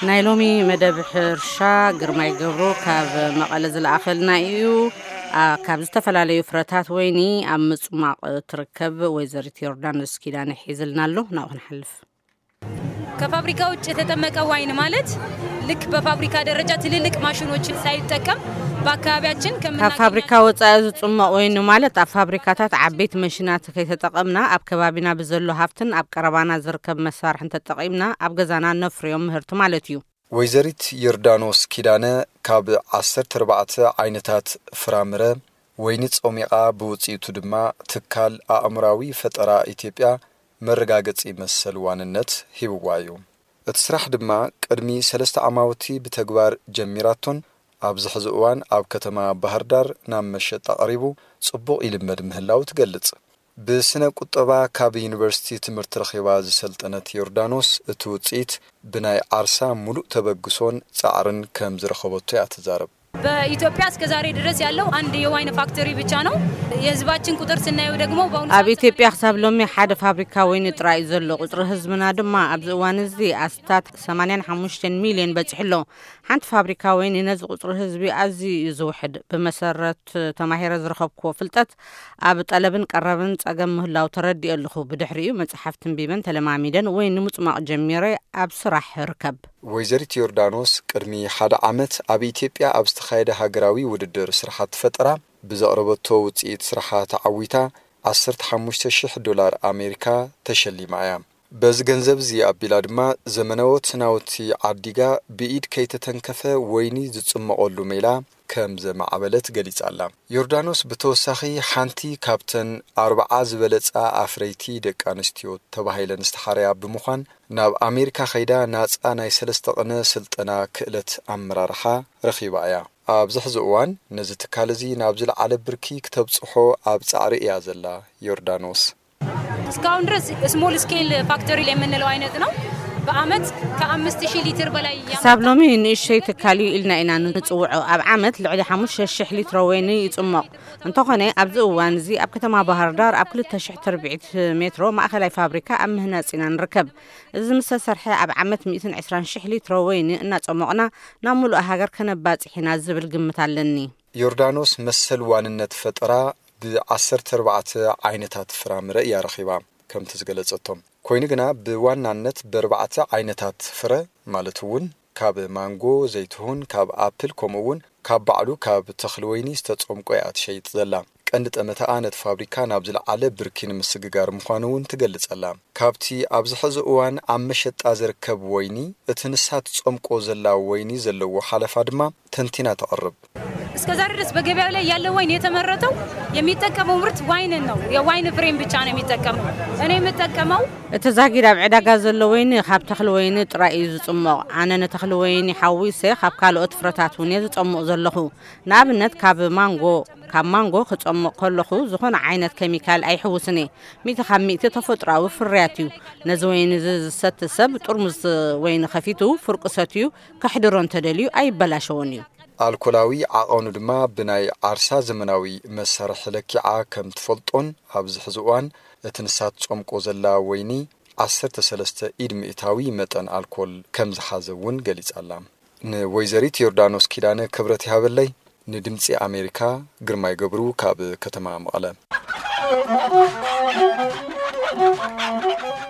ናይ ሎሚ መደብ ሕርሻ ግርማይ ገብሩ ካብ መቐለ ዝለኣኸልና እዩ። ኣ፣ ካብ ዝተፈላለዩ ፍረታት ወይኒ ኣብ ምጽማቕ ትርከብ ወይዘሪት ዮርዳኖስ ኪዳነ ሒዝልና ኣሎ። ናብኡ ክንሓልፍ። ከፋብሪካ ውጭ የተጠመቀ ዋይን ማለት ልክ በፋብሪካ ደረጃ ትልልቅ ማሽኖችን ሳይጠቀም በአካባቢያችን ካብ ከምናገኛቸው ፋብሪካ ወጻኢ ዝጽመቕ ወይኒ ማለት ኣብ ፋብሪካታት ዓበይቲ መሽናት ከይተጠቐምና ኣብ ከባቢና ብዘሎ ሃፍትን ኣብ ቀረባና ዝርከብ መሳርሕን ተጠቒምና ኣብ ገዛና ነፍርዮም ምህርቲ ማለት እዩ። ወይዘሪት ዮርዳኖስ ኪዳነ ካብ ዓሰርተ ኣርባዕተ ዓይነታት ፍራምረ ወይኒ ጸሚቓ፣ ብውጽኢቱ ድማ ትካል ኣእምራዊ ፈጠራ ኢትዮጵያ መረጋገጺ መሰል ዋንነት ሂብዋ እዩ። እቲ ስራሕ ድማ ቅድሚ ሰለስተ ዓማውቲ ብተግባር ጀሚራቶን ኣብዚ ሕዚ እዋን ኣብ ከተማ ባህር ዳር ናብ መሸጣ ቀሪቡ ጽቡቕ ይልመድ ምህላው ትገልጽ። ብስነ ቁጠባ ካብ ዩኒቨርሲቲ ትምህርቲ ረኺባ ዝሰልጠነት ዮርዳኖስ፣ እቲ ውጽኢት ብናይ ዓርሳ ሙሉእ ተበግሶን ጻዕርን ከም ዝረኸበቶ እያ ትዛረብ። በኢትዮጵያ እስከ ዛሬ ድረስ ያለው አንድ የዋይን ፋክተሪ ብቻ ነው። የህዝባችን ቁጥር ስናየው ደግሞ በአሁኑ ኣብ ሰዓት ኢትዮጵያ ክሳብ ሎሚ ሓደ ፋብሪካ ወይኒ ጥራይ እዩ ዘሎ። ቁጽሪ ህዝብና ድማ ኣብዚ እዋን እዚ ኣስታት ሰማንያን ሓሙሽተን ሚልዮን በጺሑ ኣሎ። ሓንቲ ፋብሪካ ወይኒ ነዚ ቁጽሪ ህዝቢ ኣዝዩ እዩ ዝውሕድ። ብመሰረት ተማሂረ ዝረኸብክዎ ፍልጠት ኣብ ጠለብን ቀረብን ጸገም ምህላው ተረዲኦ ኣለኹ። ብድሕሪኡ መጽሓፍ ትንቢበን ተለማሚደን ወይኒ ምጽማቕ ጀሚረ ኣብ ስራሕ ርከብ። ወይዘሪት ዮርዳኖስ ቅድሚ ሓደ ዓመት ኣብ ኢትዮጵያ ኣብ ዝተኻየደ ሃገራዊ ውድድር ስራሓት ፈጠራ ብዘቕረበቶ ውጽኢት ስራሓ ተዓዊታ ዓሰርተ ሓሙሽተ ሽሕ ዶላር ኣሜሪካ ተሸሊማ እያ። በዚ ገንዘብ እዚ ኣቢላ ድማ ዘመናዎት ናውቲ ዓዲጋ ብኢድ ከይተተንከፈ ወይኒ ዝጽመቐሉ ሜላ ከም ዘማዕበለት ገሊጻ ኣላ። ዮርዳኖስ ብተወሳኺ ሓንቲ ካብተን ኣርብዓ ዝበለጻ ኣፍረይቲ ደቂ ኣንስትዮ ተባሂለን ዝተሓረያ ብምዃን ናብ ኣሜሪካ ከይዳ ናጻ ናይ ሰለስተ ቅነ ስልጠና ክእለት ኣመራርሓ ረኺባ እያ። ኣብዚ ሕዚ እዋን ነዚ ትካል እዚ ናብ ዝለዓለ ብርኪ ክተብጽሖ ኣብ ጻዕሪ እያ ዘላ ዮርዳኖስ። እስካሁን ድረስ ስሞል ስኬል ፋክተሪ ላይ የምንለው አይነት ነው። በአመት ከአምስት ሺህ ሊትር በላይ ያመርታል። ክሳብ ሎሚ ንእሽተይ ትካል እዩ ኢልና ኢና ንጽውዖ። ኣብ ዓመት ልዕሊ ሓሙሽተ ሽሕ ሊትሮ ወይኒ ይጽሞቕ። እንተኾነ ኣብዚ እዋን እዚ ኣብ ከተማ ባህር ዳር ኣብ ክልተ ሽሕ ትርብዒት ሜትሮ ማእኸላይ ፋብሪካ ኣብ ምህናጽ ኢና ንርከብ። እዚ ምስ ተሰርሐ ኣብ ዓመት ሚእትን ዕስራን ሽሕ ሊትሮ ወይኒ እናጸሞቕና ናብ ምሉእ ሃገር ከነባጽሕ ኢና ዝብል ግምት ኣለኒ። ዮርዳኖስ መሰል ዋንነት ፈጠራ ብዓሰርተ ኣርባዕተ ዓይነታት ፍራምረ እያ ረኺባ። ከምቲ ዝገለጸቶም ኮይኑ ግና ብዋናነት ብኣርባዕተ ዓይነታት ፍረ ማለት እውን ካብ ማንጎ፣ ዘይትሁን፣ ካብ ኣፕል ከምኡ እውን ካብ ባዕሉ ካብ ተኽሊ ወይኒ ዝተጸምቆ እያ ትሸይጥ ዘላ። ቀንዲ ጠመተኣ ነቲ ፋብሪካ ናብ ዝለዓለ ብርኪ ንምስግጋር ምዃኑ እውን ትገልጸላ። ካብቲ ኣብዚ ሕዚ እዋን ኣብ መሸጣ ዝርከብ ወይኒ እቲ ንሳ ትጸምቆ ዘላ ወይኒ ዘለዎ ሓለፋ ድማ ተንቲና ተቕርብ። እስከ ዛሬ ድረስ በገበያው ላይ ያለው ወይን የተመረተው የሚጠቀመው ምርት ዋይንን ነው። የዋይን ፍሬም ብቻ ነው የሚጠቀመው። እኔ የምጠቀመው እቲ ዛጊድ ኣብ ዕዳጋ ዘሎ ወይኒ ካብ ተኽሊ ወይኒ ጥራይ እዩ ዝጽሞቕ። ኣነ ንተኽሊ ወይኒ ሓዊሰ ካብ ካልኦት ፍረታት እውን እየ ዝጸምቕ ዘለኹ። ንኣብነት ካብ ማንጎ፣ ካብ ማንጎ ክጸምቕ ከለኹ ዝኾነ ዓይነት ኬሚካል ኣይሕውስን እየ። ሚእቲ ካብ ሚእቲ ተፈጥሮኣዊ ፍርያት እዩ። ነዚ ወይኒ እዚ ዝሰቲ ሰብ ጥርሙዝ ወይኒ ከፊቱ ፍርቂ ሰትዩ ከሕድሮ እንተደልዩ ኣይበላሸዎን እዩ። ኣልኮላዊ ዓቐኑ ድማ ብናይ ዓርሳ ዘመናዊ መሳርሒ ለኪዓ ከም ትፈልጦን ኣብዚ ሕዚ እዋን እቲ ንሳ ትጸምቆ ዘላ ወይኒ ዓሰርተ ሰለስተ ኢድ ሚእታዊ መጠን ኣልኮል ከም ዝሓዘ እውን ገሊጻ ኣላ። ንወይዘሪት ዮርዳኖስ ኪዳነ ክብረት ይሃበለይ። ንድምጺ ኣሜሪካ ግርማይ ገብሩ ካብ ከተማ መቐለ።